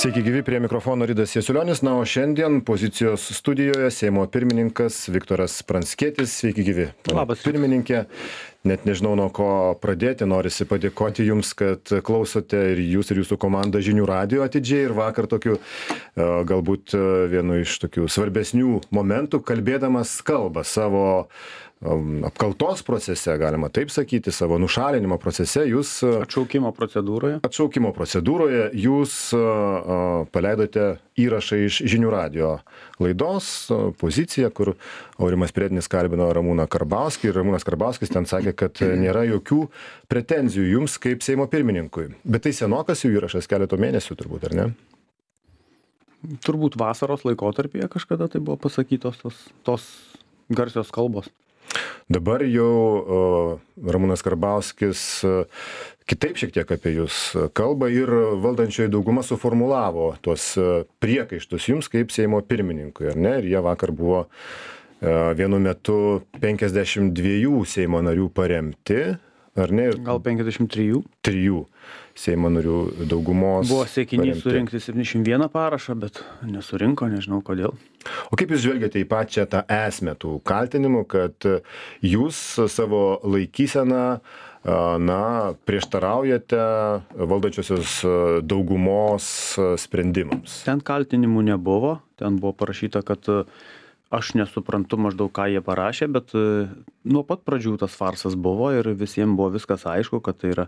Sveiki gyvi, prie mikrofono Ridas Jasiulionis. Na, o šiandien pozicijos studijoje Seimo pirmininkas Viktoras Pranckietis. Sveiki gyvi. Labas. Pirmininkė, net nežinau nuo ko pradėti, norisi padėkoti Jums, kad klausote ir Jūs ir Jūsų komanda žinių radijo atidžiai. Ir vakar tokiu, galbūt vienu iš tokių svarbesnių momentų, kalbėdamas kalbą savo apkaltos procese, galima taip sakyti, savo nušalinimo procese, jūs Atšaukimo procedūroje jūs paleidote įrašą iš žinių radijo laidos poziciją, kur Aurimas Priedinis kalbino Ramūną Karbauskį ir Ramūnas Karbauskis ten sakė, kad nėra jokių pretenzijų jums kaip Seimo pirmininkui. Bet tai senokas jų įrašas, keleto mėnesių turbūt, ar ne? Turbūt vasaros laikotarpyje kažkada tai buvo pasakytos tos garsios kalbos. Dabar jau Ramūnas Karbauskis kitaip šiek tiek apie jūs kalba ir valdančioji dauguma suformulavo tuos priekaištus jums kaip Seimo pirmininkui, ar ne? Ir jie vakar buvo vienu metu 52 Seimo narių paremti, ar ne? Gal 53? 3 Seimo narių daugumos. Buvo siekinys surinkti 71 parašą, bet nesurinko, nežinau kodėl. O kaip jūs žvelgiate į pačią tą esmę tų kaltinimų, kad jūs savo laikyseną prieštaraujate valdančiosios daugumos sprendimams? Ten kaltinimų nebuvo, ten buvo parašyta, kad aš nesuprantu maždaug, ką jie parašė, bet nuo pat pradžių tas farsas buvo ir visiems buvo viskas aišku, kad tai yra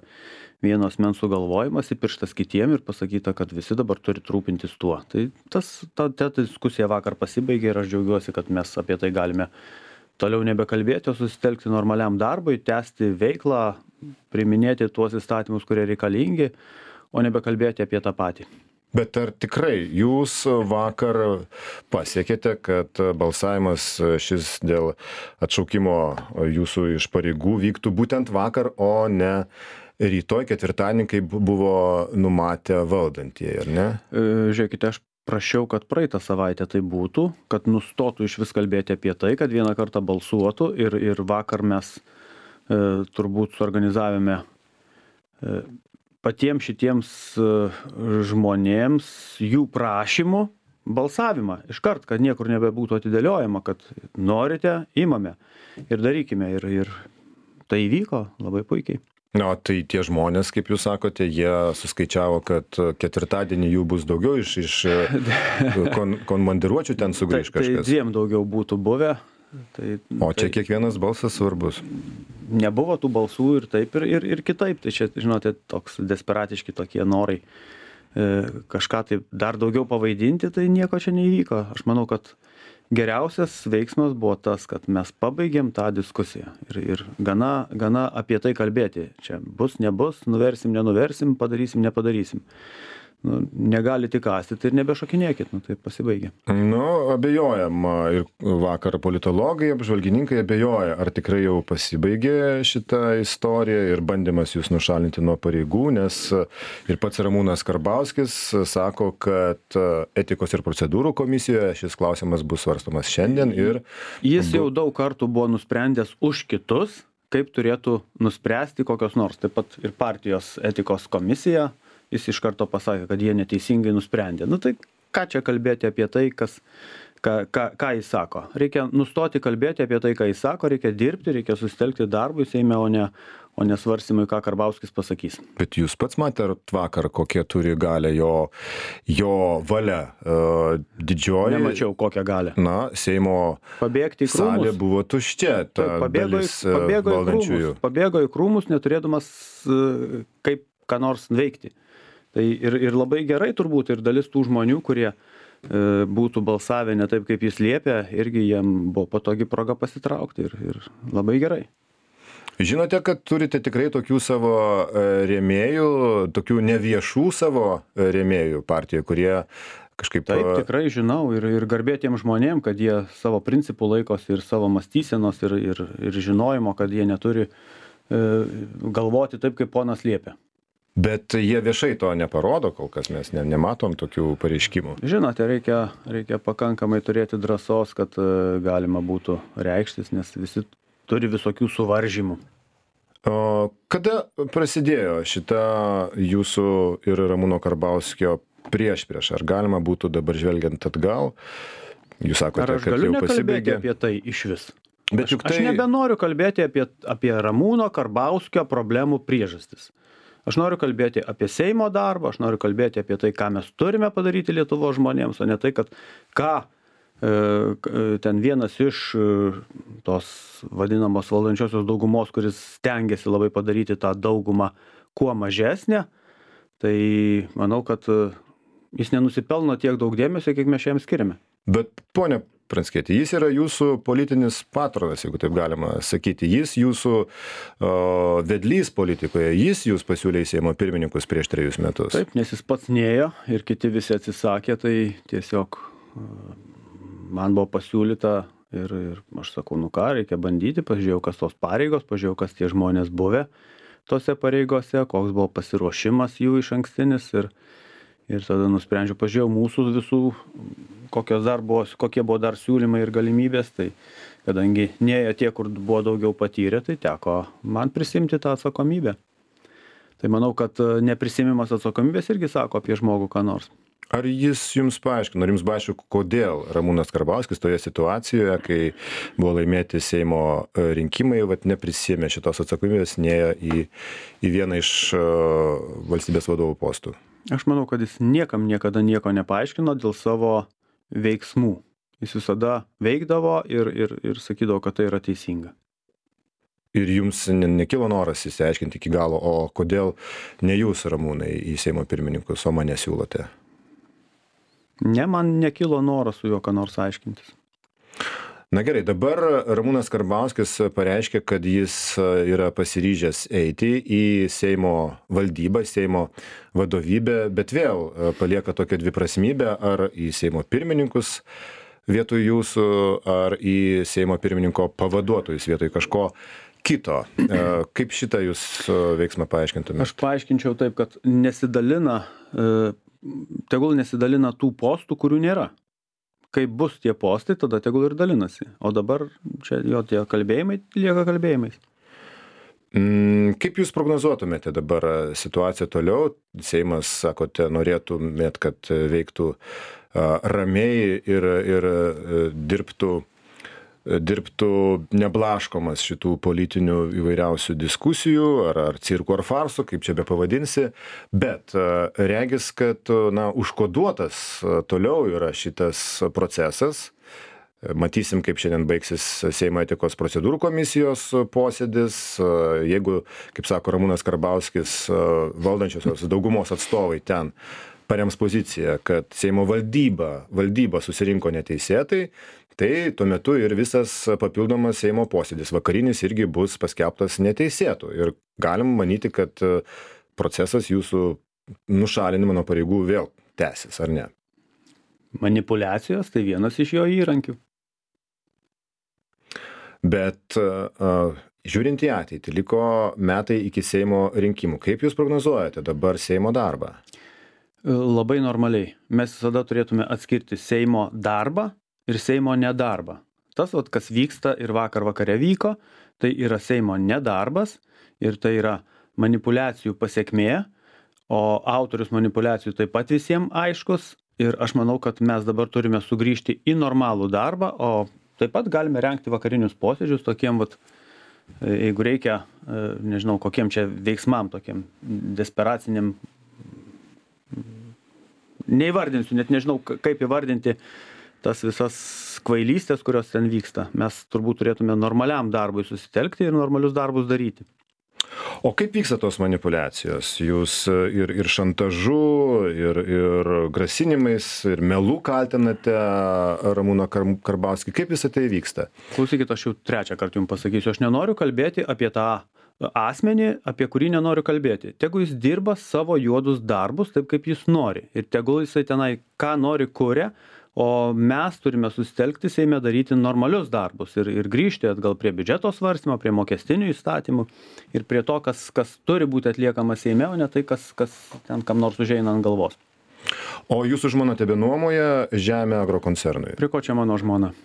vieno asmens sugalvojimas, įpirštas kitiem ir pasakyta, kad visi dabar turi rūpintis tuo. Tai ta diskusija vakar pasibaigė ir aš džiaugiuosi, kad mes apie tai galime toliau nebekalbėti, o susitelkti normaliam darbui, tęsti veiklą, priiminėti tuos įstatymus, kurie reikalingi, o nebekalbėti apie tą patį. Bet ar tikrai jūs vakar pasiekėte, kad balsavimas šis dėl atšaukimo jūsų iš pareigų vyktų būtent vakar, o ne rytoj ketvirtadienį, kaip buvo numatę valdantieji, ar ne? Žiūrėkite, aš prašiau, kad praeitą savaitę tai būtų, kad nustotų iš vis kalbėti apie tai, kad vieną kartą balsuotų ir vakar mes turbūt suorganizavome patiems šitiems žmonėms jų prašymų balsavimą iškart, kad niekur nebebūtų atidėliojama, kad norite, imame ir darykime. Ir tai įvyko labai puikiai. Na, tai tie žmonės, kaip jūs sakote, jie suskaičiavo, kad ketvirtadienį jų bus daugiau iš komandiruočių ten sugrįž kažkas. Tai 2 daugiau būtų buvę. O čia kiekvienas balsas svarbus. Nebuvo tų balsų ir taip ir kitaip. Tai čia, žinote, toks desperatiški tokie norai kažką tai dar daugiau pavaidinti, tai nieko čia neįvyko. Aš manau, kad geriausias veiksmas buvo tas, kad mes pabaigėm tą diskusiją ir gana apie tai kalbėti. Čia bus, nebus, nuversim, nenuversim, padarysim, nepadarysim. Negali tik kąstyti ir nebešokinėkit, tai pasibaigė. Abejojama ir vakar politologai, apžvalgininkai abejoja, ar tikrai jau pasibaigė šita istorija ir bandymas jūs nušalinti nuo pareigų, nes ir pats Ramūnas Karbauskis sako, kad etikos ir procedūrų komisijoje šis klausimas bus svarstomas šiandien ir... Jis jau daug kartų buvo nusprendęs už kitus, kaip turėtų nuspręsti kokios nors, taip pat ir partijos etikos komisija. Jis iš karto pasakė, kad jie neteisingai nusprendė. Tai ką čia kalbėti apie tai, ką jis sako? Reikia nustoti kalbėti apie tai, ką jis sako, reikia dirbti, reikia susitelkti darbui Seime, o ne svarstymui, ką Karbauskis pasakys. Bet jūs pats matėt vakar, kokie turi galę jo valia didžioji? Nemačiau kokią galę. Seimo salė buvo tuščia, ta dalis valdančiųjų. Pabėgo į krūmus, neturėdamas kaip ką nors veikti. Tai ir labai gerai turbūt ir dalis tų žmonių, kurie būtų balsavę ne taip, kaip jis liepė, irgi jiem buvo patogi proga pasitraukti ir labai gerai. Žinote, kad turite tikrai tokių savo rėmėjų, tokių neviešų savo rėmėjų partijoje, kurie kažkaip... Taip, tikrai žinau ir garbėtiem žmonėm, kad jie savo principų laikosi ir savo mąstysenos ir žinojimo, kad jie neturi galvoti taip, kaip ponas liepia. Bet jie viešai to neparodo, kol kas mes nematom tokių pareiškimų. Žinote, reikia pakankamai turėti drąsos, kad galima būtų reikštis, nes visi turi visokių suvaržymų. Kada prasidėjo šita jūsų ir Ramūno Karbauskio priešpriešą? Ar galima būtų dabar žvelgiant atgal, jūs sakote, Ar aš kad galiu jau nekalbėti pasibaigė? apie tai iš vis? Bet juk Aš tai... nebenoriu kalbėti apie Ramūno Karbauskio problemų priežastis. Aš noriu kalbėti apie Seimo darbą, aš noriu kalbėti apie tai, ką mes turime padaryti Lietuvos žmonėms, o ne tai, kad ten vienas iš tos vadinamos valdančiosios daugumos, kuris stengiasi labai padaryti tą daugumą kuo mažesnę, tai manau, kad jis nenusipelno tiek daug dėmesio, kiek mes jam skiriame. Bet, ponia Pranckieti, jis yra jūsų politinis patronas, jeigu taip galima sakyti. Jis jūsų vedlys politikoje, jis jūs pasiūlė į Seimo pirmininkus prieš 3 metus. Taip, nes jis pats nėjo ir kiti visi atsisakė, tai tiesiog man buvo pasiūlyta ir aš sakau, nu ką, reikia bandyti, pažiūrėjau, kas tos pareigos, pažiūrėjau, kas tie žmonės buvę tose pareigose, koks buvo pasiruošimas jų iš ankstinis ir tada nusprendžiau, pažiūrėjau mūsų visų, kokie buvo dar siūlymai ir galimybės, tai kadangi neėjo tie, kur buvo daugiau patyrę, tai teko man prisimti tą atsakomybę. Tai manau, kad neprisimimas atsakomybės irgi sako apie žmogų ką nors. Ar jis jums paaiškino, ar jums paaiškino, kodėl Ramūnas Karbauskis toje situacijoje, kai buvo laimėti Seimo rinkimai, neprisėmė šitos atsakomybės, neėjo į vieną iš valstybės vadovų postų? Aš manau, kad jis niekam niekada nieko nepaaiškino dėl savo veiksmų. Jis visada veikdavo ir sakydavo, kad tai yra teisinga. Ir jums nekilo noras įsiaiškinti iki galo, o kodėl ne jūs, Ramūnai, į Seimo pirmininkus, o mane siūlote? Ne, man nekilo noras su juo ką nors aiškintis. Na gerai, dabar Ramūnas Karbauskis pareiškė, kad jis yra pasiryžęs eiti į Seimo valdybą, Seimo vadovybę, bet vėl palieka tokią dviprasmybę, ar į Seimo pirmininkus vietoj jūsų, ar į Seimo pirmininko pavaduotojus vietoj kažko kito. Kaip šitą jūs veiksmą paaiškintumėte? Aš paaiškinčiau taip, kad tegul nesidalina tų postų, kurių nėra. Kai bus tie postai, tada tegul ir dalinasi. O dabar čia jo tie kalbėjimai lieka kalbėjimais. Kaip jūs prognozuotumėte dabar situaciją toliau? Seimas, sakote, norėtumėt, kad veiktų ramiai ir dirbtų neblaškomas šitų politinių įvairiausių diskusijų, ar cirkų, ar farsų, kaip čia be pavadinsi, bet regis, kad užkoduotas toliau yra šitas procesas. Matysim, kaip šiandien baigsis Seimo etikos procedūrų komisijos posėdis. Jeigu, kaip sako Ramūnas Karbauskis, valdančiosios daugumos atstovai ten parems poziciją, kad Seimo valdyba susirinko neteisėtai, tai tuo metu ir visas papildomas Seimo posėdis vakarinis irgi bus paskelbtas neteisėtu. Ir galim manyti, kad procesas jūsų nušalinimo nuo pareigų vėl tęsis, ar ne? Manipuliacijos tai vienas iš jo įrankių. Bet žiūrint į ateitį, liko metai iki Seimo rinkimų. Kaip jūs prognozuojate dabar Seimo darbą? Labai normaliai. Mes visada turėtume atskirti Seimo darbą ir Seimo nedarbą. Tas, kas vyksta ir vakare vyko, tai yra Seimo nedarbas ir tai yra manipuliacijų pasekmė, o autorius manipuliacijų taip pat visiems aiškus ir aš manau, kad mes dabar turime sugrįžti į normalų darbą, o taip pat galime rengti vakarinius posėdžius tokiem, jeigu reikia, nežinau, kokiem čia veiksmam, tokiem desperaciniam, neįvardinsiu, net nežinau, kaip įvardinti tas visas kvailystės, kurios ten vyksta. Mes turbūt turėtume normaliam darbui susitelkti ir normalius darbus daryti. O kaip vyksta tos manipuliacijos? Jūs ir šantažu, ir grasinimais, ir melų kaltinate Ramūną Karbauskį. Kaip visą tai vyksta? Klausykit, aš jau 3 kartą jums pasakysiu. Aš nenoriu kalbėti apie tą asmenį, apie kurį nenoriu kalbėti. Tegu jis dirba savo juodus darbus taip, kaip jis nori. Ir tegul jisai tenai ką nori kuria, o mes turime susitelkti Seime daryti normalius darbus ir grįžti atgal prie biudžeto svarstymo, prie mokestinių įstatymų ir prie to, kas turi būti atliekama Seime, o ne tai, kas ten kam nors užeina ant galvos. O jūsų žmona tebenuomoja žemę agrokoncernui? Prie ko čia mano žmona?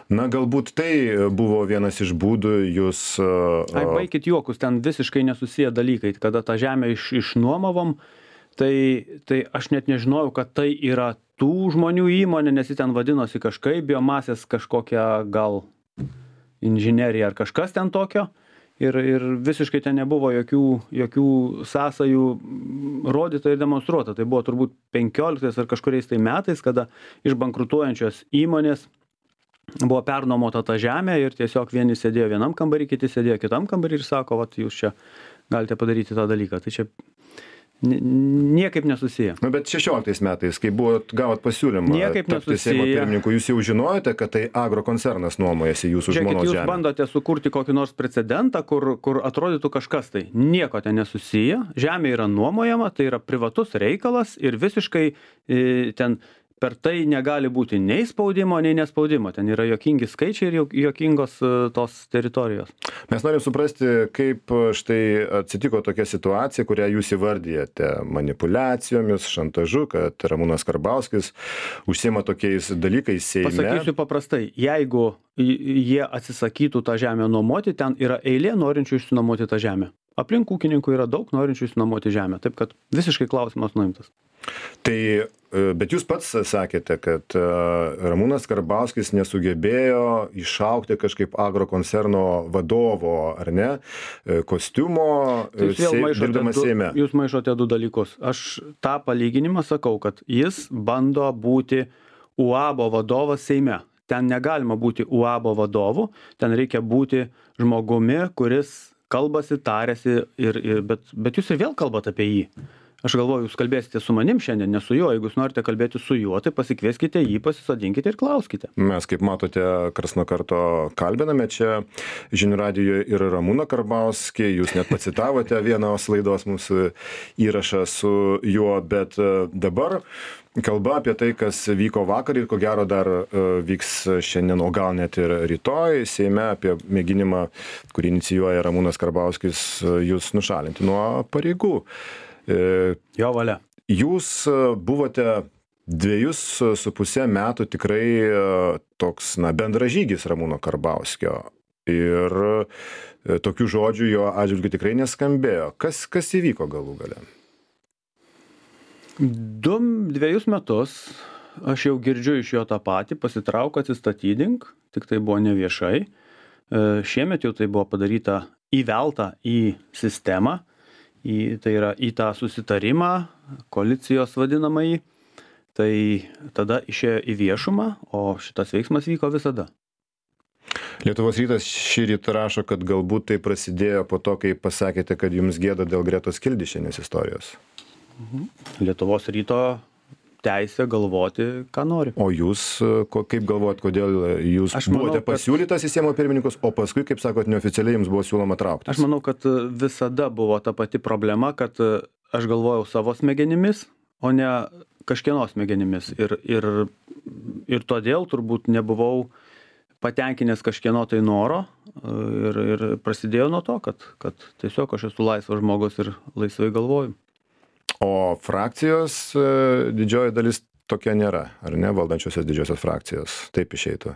Na, galbūt tai buvo vienas iš būdų jūs... Baikit juokus, ten visiškai nesusiję dalykai. Kada tą žemę išnuomavom, tai aš net nežinojau, kad tai yra tų žmonių įmonė, nes ji ten vadinosi kažkaip, biomasės kažkokia gal inžinerija ar kažkas ten tokio. Ir visiškai ten nebuvo jokių sąsajų rodyta ir demonstruota. Tai buvo turbūt 15 ar kažkuriais tai metais, kada iš bankrutuojančios įmonės buvo pernuomota ta žemė ir tiesiog vieni sėdėjo vienam kambarį, kiti sėdėjo kitam kambarį ir sako, vat jūs čia galite padaryti tą dalyką. Tai čia niekaip nesusiję. Nu, bet 16 metais, kai gavot pasiūlymą tapti Seimo pirmininku, jūs jau žinojote, kad tai agrokoncernas nuomojasi jūsų žmonos žemę? Jūs bandote sukurti kokį nors precedentą, kur atrodytų kažkas tai. Nieko ten nesusiję. Žemė yra nuomojama, tai yra privatus reikalas ir visiškai ten per tai negali būti nei spaudimo, nei nespaudimo. Ten yra juokingi skaičiai ir juokingos tos teritorijos. Mes norim suprasti, kaip štai atsitiko tokia situacija, kurią jūs įvardyjate manipuliacijomis, šantažu, kad Ramūnas Karbauskis užsiima tokiais dalykais Seime. Pasakysiu paprastai, jeigu jie atsisakytų tą žemę nuomoti, ten yra eilė norinčių išsinuomoti tą žemę. Aplink ūkininkų yra daug norinčių išsinuomoti žemę, taip kad visiškai klausimas nuimtas. Tai, bet jūs pats sakėte, kad Ramūnas Karbauskis nesugebėjo išaugti kažkaip agrokoncerno vadovo, ar ne, kostiumo, dirbdamas Seime. Jūs maišote du dalykus. Aš tą palyginimą sakau, kad jis bando būti UABO vadovas Seime. Ten negalima būti UABO vadovu, ten reikia būti žmogumi, kuris kalbasi, tarėsi, bet jūs ir vėl kalbat apie jį. Aš galvoju, jūs kalbėsite su manim šiandien, ne su juo. Jeigu jūs norite kalbėti su juo, tai pasikvieskite jį, pasisodinkite ir klauskite. Mes, kaip matote, karts nuo karto kalbiname čia Žinių radijoje ir Ramūną Karbauskį. Jūs net pacitavote vienos laidos mūsų įrašą su juo, bet dabar kalba apie tai, kas vyko vakar ir ko gero dar vyks šiandien, o gal net ir rytoj Seime, apie mėginimą, kurį inicijuoja Ramūnas Karbauskis, jūs nušalinti nuo pareigų. Jo valia. Jūs buvote 2,5 metų tikrai toks, bendražygis Ramūno Karbauskio ir tokių žodžių jo atžvilgiu tikrai neskambėjo. Kas įvyko galų gale? 2 metus aš jau girdžiu iš jo tą patį, pasitrauk, atsistatydink, tik tai buvo neviešai. Šiemet jau tai buvo padaryta įvelta į sistemą. Tai yra į tą susitarimą, koalicijos vadinamąjį, tai tada išėjo į viešumą, o šitas veiksmas vyko visada. Lietuvos rytas šįryt rašo, kad galbūt tai prasidėjo po to, kai pasakėte, kad jums gėda dėl Gretos Kildišienės istorijos. Lietuvos ryto teisė galvoti, ką nori. O jūs, kaip galvojat, kodėl jūs buvote pasiūlytas į Seimo pirmininkus, o paskui, kaip sakot, neoficialiai jums buvo siūloma trauktis? Aš manau, kad visada buvo ta pati problema, kad aš galvojau savo smegenimis, o ne kažkieno smegenimis. Ir todėl turbūt nebuvau patenkinęs kažkieno tai noro ir prasidėjo nuo to, kad tiesiog aš esu laisvas žmogus ir laisvai galvoju. O frakcijos didžioji dalis tokia nėra, ar ne, valdančiosios didžiosios frakcijos? Taip išeitų.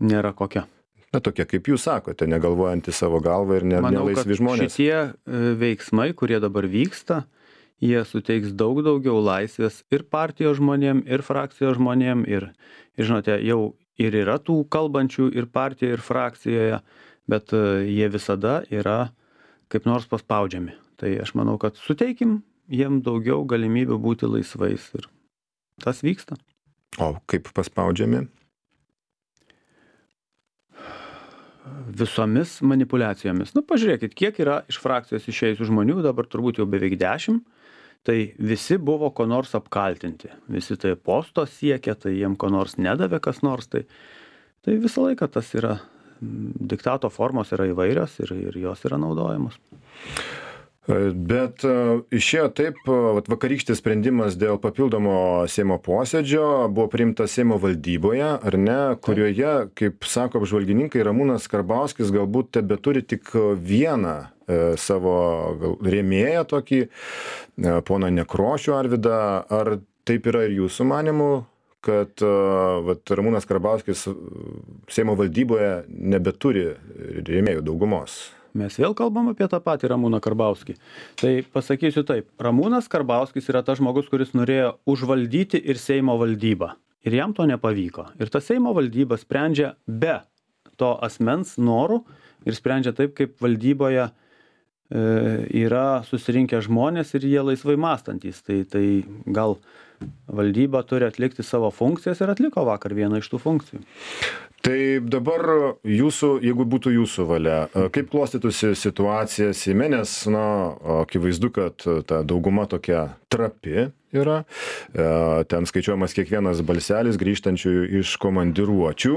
Nėra kokia. Na, tokia, kaip jūs sakote, negalvojantys savo galvą ir nelaisvi žmonės. Manau, kad šitie veiksmai, kurie dabar vyksta, jie suteiks daug daugiau laisvės ir partijos žmonėm, ir frakcijos žmonėm, ir žinote, jau ir yra tų kalbančių ir partijoje, ir frakcijoje, bet jie visada yra kaip nors paspaudžiami. Tai aš manau, kad suteikim jiem daugiau galimybių būti laisvais ir tas vyksta. O kaip paspaudžiami? Visomis manipuliacijomis. Pažiūrėkit, kiek yra iš frakcijos išėjusių žmonių, dabar turbūt jau beveik 10, tai visi buvo ko nors apkaltinti. Visi tai posto siekia, tai jiem ko nors nedavė kas nors. Tai visą laiką tas yra, diktato formos yra įvairios ir jos yra naudojamos. Bet išėjo taip, vakarykštis sprendimas dėl papildomo Seimo posėdžio buvo priimtas Seimo valdyboje, ar ne, kurioje, kaip sako apžvalgininkai, Ramūnas Karbauskis galbūt tebeturi tik vieną savo rėmėją tokį, poną Nekrošių Arvydą. Ar taip yra ir jūsų manymu, kad Ramūnas Karbauskis Seimo valdyboje nebeturi rėmėjų daugumos? mes vėl kalbam apie tą patį Ramūną Karbauskį. Tai pasakysiu taip, Ramūnas Karbauskis yra tas žmogus, kuris norėjo užvaldyti ir Seimo valdybą. Ir jam to nepavyko. Ir ta Seimo valdyba sprendžia be to asmens norų ir sprendžia taip, kaip valdyboje yra susirinkę žmonės ir jie laisvai mąstantys. Tai gal valdyba turi atlikti savo funkcijas ir atliko vakar vieną iš tų funkcijų. Tai dabar jūsų, jeigu būtų jūsų valia, kaip klostytųsi situacija Seime, nes, akivaizdu, kad ta dauguma tokia trapi yra, ten skaičiuojamas kiekvienas balselis grįžtančiųjų iš komandiruočių.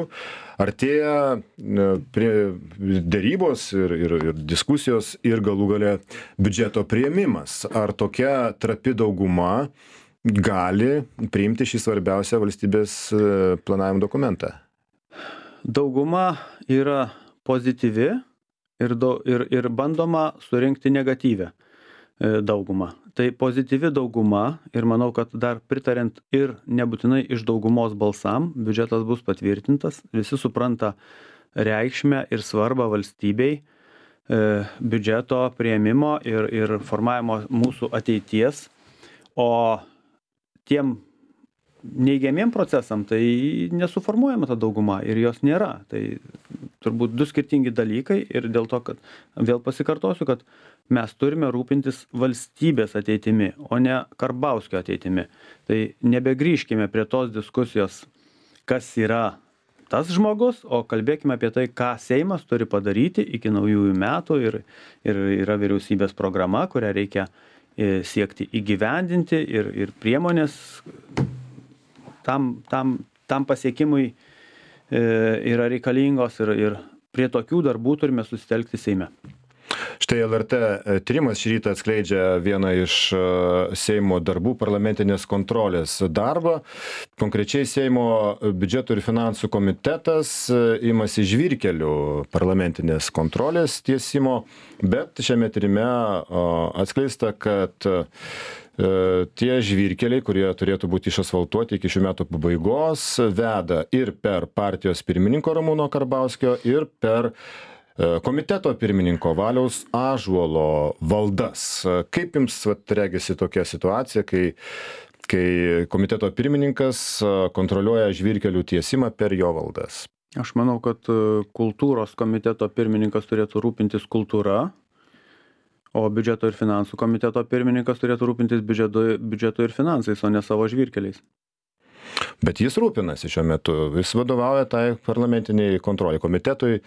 Artėja prie dėrybos ir diskusijos ir galų gale biudžeto priėmimas. Ar tokia trapi dauguma gali priimti šį svarbiausią valstybės planavimo dokumentą? Dauguma yra pozityvi ir bandoma surinkti negatyvę daugumą. Tai pozityvi dauguma ir manau, kad dar pritarint ir nebūtinai iš daugumos balsam, biudžetas bus patvirtintas, visi supranta reikšmę ir svarbą valstybei biudžeto priėmimo ir formavimo mūsų ateities, o tiem neigiamiem procesam tai nesuformuojama ta dauguma ir jos nėra. Tai turbūt du skirtingi dalykai ir dėl to, kad vėl pasikartosiu, kad mes turime rūpintis valstybės ateitimi, o ne Karbauskio ateitimi. Tai nebegrįžkime prie tos diskusijos, kas yra tas žmogus, o kalbėkime apie tai, ką Seimas turi padaryti iki naujųjų metų ir yra vyriausybės programa, kurią reikia siekti įgyvendinti ir priemonės tam pasiekimui yra reikalingos ir prie tokių darbų turime susitelkti Seime. Štai LRT tyrimas šį rytą atskleidžia vieną iš Seimo darbų, parlamentinės kontrolės darbą. Konkrečiai Seimo biudžeto ir finansų komitetas imasi žvyrkelių parlamentinės kontrolės tiesimo, bet šiame tyrime atskleista, kad tie žvyrkeliai, kurie turėtų būti išasfaltuoti iki šių metų pabaigos, veda ir per partijos pirmininko Ramūno Karbauskio, ir per komiteto pirmininko Valiaus Ąžuolo valdas. Kaip jums regisi tokia situacija, kai komiteto pirmininkas kontroliuoja žvyrkelių tiesimą per jo valdas? Aš manau, kad kultūros komiteto pirmininkas turėtų rūpintis kultūra, o biudžeto ir finansų komiteto pirmininkas turėtų rūpintis biudžeto ir finansais, o ne savo žvyrkeliais. Bet jis rūpinasi šiuo metu, jis vadovauja tai parlamentiniai kontrolė komitetui,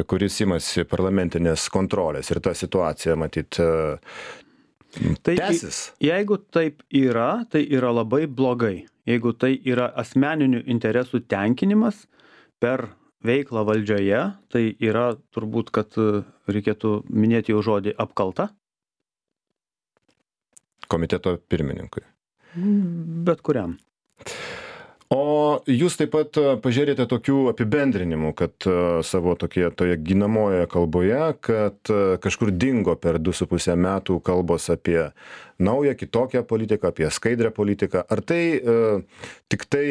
kuris imasi parlamentinės kontrolės ir ta situacija, matyt, tęsis. Jeigu taip yra, tai yra labai blogai. Jeigu tai yra asmeninių interesų tenkinimas per veiklą valdžioje, tai yra turbūt, kad reikėtų minėti jau žodį apkalta. Komiteto pirmininkui. Bet kuriam. O jūs taip pat pažiūrėjote tokių apibendrinimų, kad savo toje ginamojoje kalboje, kad kažkur dingo per 2,5 metų kalbos apie naują, kitokią politiką, apie skaidrę politiką. Ar tai tik tai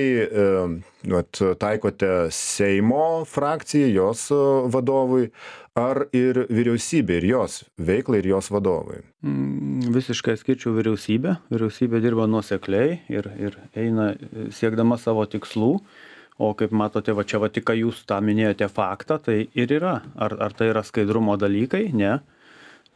taikote Seimo frakcijai, jos vadovui, ar ir vyriausybė, ir jos veiklai, ir jos vadovui? Visiškai skirčiau vyriausybę. Vyriausybė dirba nuosekliai ir eina siekdama savo tikslų. O kaip matote, čia tik ką jūs tą minėjote faktą, tai ir yra. Ar tai yra skaidrumo dalykai? Ne.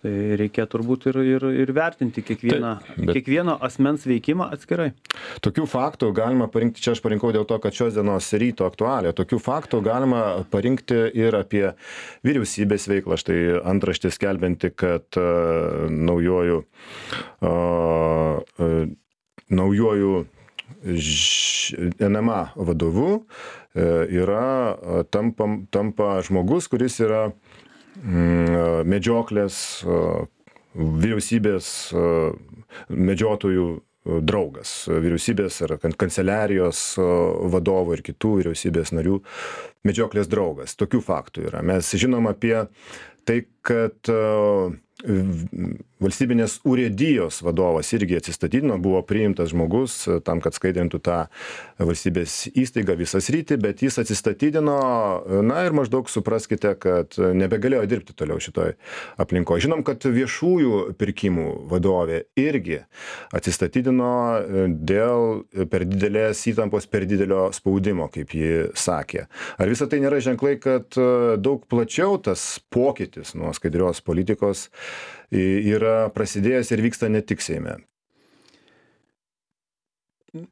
Tai reikia turbūt ir vertinti kiekvieno asmens veikimą atskirai. Tokių faktų galima parinkti, čia aš parinkau dėl to, kad šios dienos ryto aktualija, tokių faktų galima parinkti ir apie vyriausybės veiklą. Štai antraštė skelbianti, kad naujuoju NMA vadovu tampa žmogus, kuris yra medžioklės vyriausybės medžiotojų draugas, vyriausybės ar kanceliarijos vadovų ir kitų vyriausybės narių medžioklės draugas. Tokių faktų yra. Mes žinom apie tai, kad valstybinės urėdijos vadovas irgi atsistatydino, buvo priimtas žmogus tam, kad skaidrintų tą valstybės įstaigą visą sritį, bet jis atsistatydino, na ir maždaug supraskite, kad nebegalėjo dirbti toliau šitoj aplinkoje. Žinom, kad viešųjų pirkimų vadovė irgi atsistatydino dėl per didelės įtampos, per didelio spaudimo, kaip ji sakė. Ar visą tai nėra ženklai, kad daug plačiau tas pokytis nuo skaidrios politikos yra prasidėjęs ir vyksta ne tik Seime?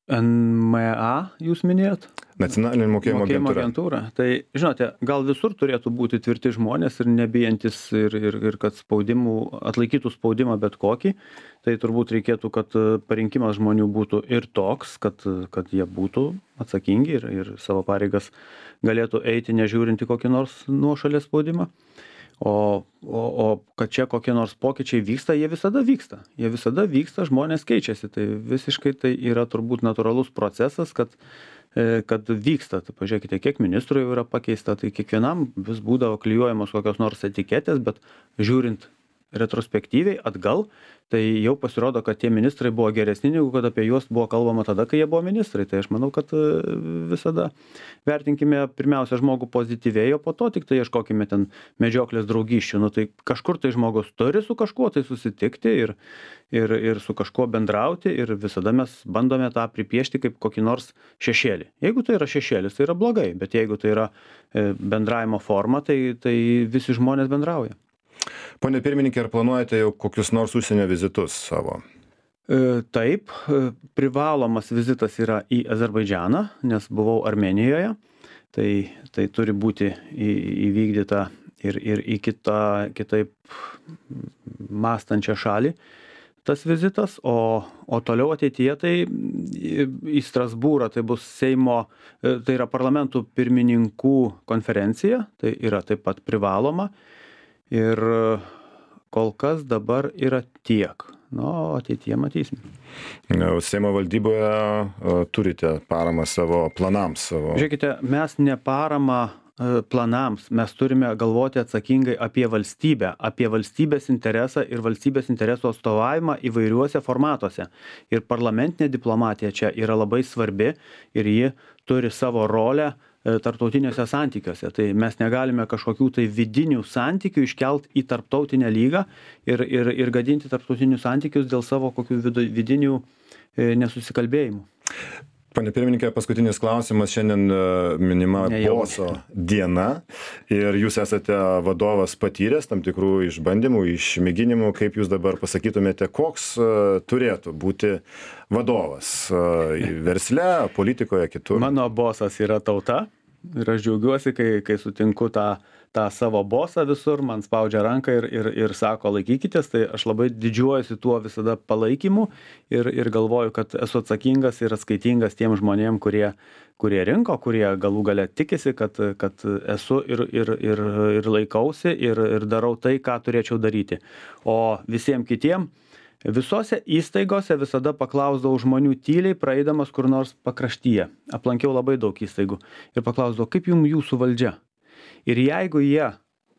NMA jūs minėjot? Nacionalinė mokėjimo agentūra. Tai, žinote, gal visur turėtų būti tvirti žmonės ir nebijantis ir kad atlaikytų spaudimą bet kokį. Tai turbūt reikėtų, kad parinkimas žmonių būtų ir toks, kad jie būtų atsakingi ir savo pareigas galėtų eiti nežiūrinti kokį nors nuošalės spaudimą. O kad čia kokie nors pokyčiai vyksta, jie visada vyksta, žmonės keičiasi. Tai visiškai tai yra turbūt natūralus procesas, kad vyksta. Tai pažiūrėkite, kiek ministrų jau yra pakeista, tai kiekvienam vis būdavo klijuojamos kokios nors etiketės, bet žiūrint retrospektyviai atgal, tai jau pasirodo, kad tie ministrai buvo geresni, negu kad apie juos buvo kalbama tada, kai jie buvo ministrai. Tai aš manau, kad visada vertinkime pirmiausia žmogų pozityviai, o po to tik tai ieškokime ten medžioklės draugysčių. Nu, tai kažkur tai žmogus turi su kažkuo tai susitikti ir su kažkuo bendrauti ir visada mes bandome tą pripiešti kaip kokį nors šešėlį. Jeigu tai yra šešėlis, tai yra blogai, bet jeigu tai yra bendravimo forma, tai visi žmonės bendrauja. Pone pirmininkė, ar planuojate jau kokius nors užsienio vizitus savo? Taip, privalomas vizitas yra į Azerbaidžaną, nes buvau Armėnijoje. Tai turi būti įvykdyta ir į kitaip mąstančią šalį tas vizitas, o toliau ateityje tai į Strasbūrą, tai bus Seimo, tai yra parlamentų pirmininkų konferencija, tai yra taip pat privaloma. Ir kol kas dabar yra tiek. Nu, ateityje matysim. Seimo valdyboje turite paramą savo planams. Žiūrėkite, mes ne paramą planams, mes turime galvoti atsakingai apie valstybę, apie valstybės interesą ir valstybės interesų atstovavimą įvairiuose formatuose. Ir parlamentinė diplomatija čia yra labai svarbi ir ji turi savo rolę tarptautiniuose santykiuose. Tai mes negalime kažkokių tai vidinių santykių iškelt į tarptautinę lygą ir gadinti tarptautinius santykius dėl savo kokių vidinių nesusikalbėjimų. Pane pirmininkė, paskutinis klausimas. Šiandien minima boso diena ir jūs esate vadovas patyręs tam tikrų išbandymų, išmėginimų. Kaip jūs dabar pasakytumėte, koks turėtų būti vadovas versle, politikoje, kitur? Mano bosas yra tauta ir aš džiaugiuosi, kai sutinku tą savo bosą visur, man spaudžia ranką ir sako laikykitės, tai aš labai didžiuojuosi tuo visada palaikymu ir galvoju, kad esu atsakingas ir atskaitingas tiem žmonėm, kurie rinko, kurie galų gale tikisi, kad esu ir laikausi ir darau tai, ką turėčiau daryti. O visiems kitiem visose įstaigose visada paklausdavau žmonių tyliai, praeidamas kur nors pakraštyje. Aplankiau labai daug įstaigų ir paklausdavau, kaip jums jūsų valdžia? Ir jeigu jie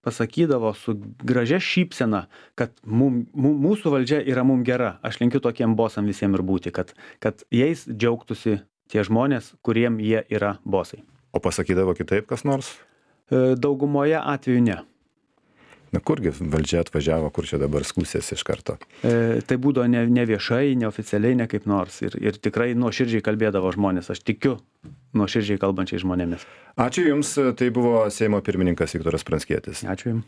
pasakydavo su gražia šypsena, kad mūsų valdžia yra mum gera, aš linkiu tokiem bosam visiems ir būti, kad jais džiaugtųsi tie žmonės, kuriem jie yra bosai. O pasakydavo kitaip kas nors? Daugumoje atveju ne. Na kurgi valdžia atvažiavo, kur čia dabar skūsėsi iš karto? Tai būdavo ne viešai, neoficialiai, ne kaip nors. Ir tikrai nuoširdžiai kalbėdavo žmonės. Aš tikiu nuoširdžiai kalbančiai žmonėmis. Ačiū Jums. Tai buvo Seimo pirmininkas Viktoras Pranckietis. Ačiū Jums.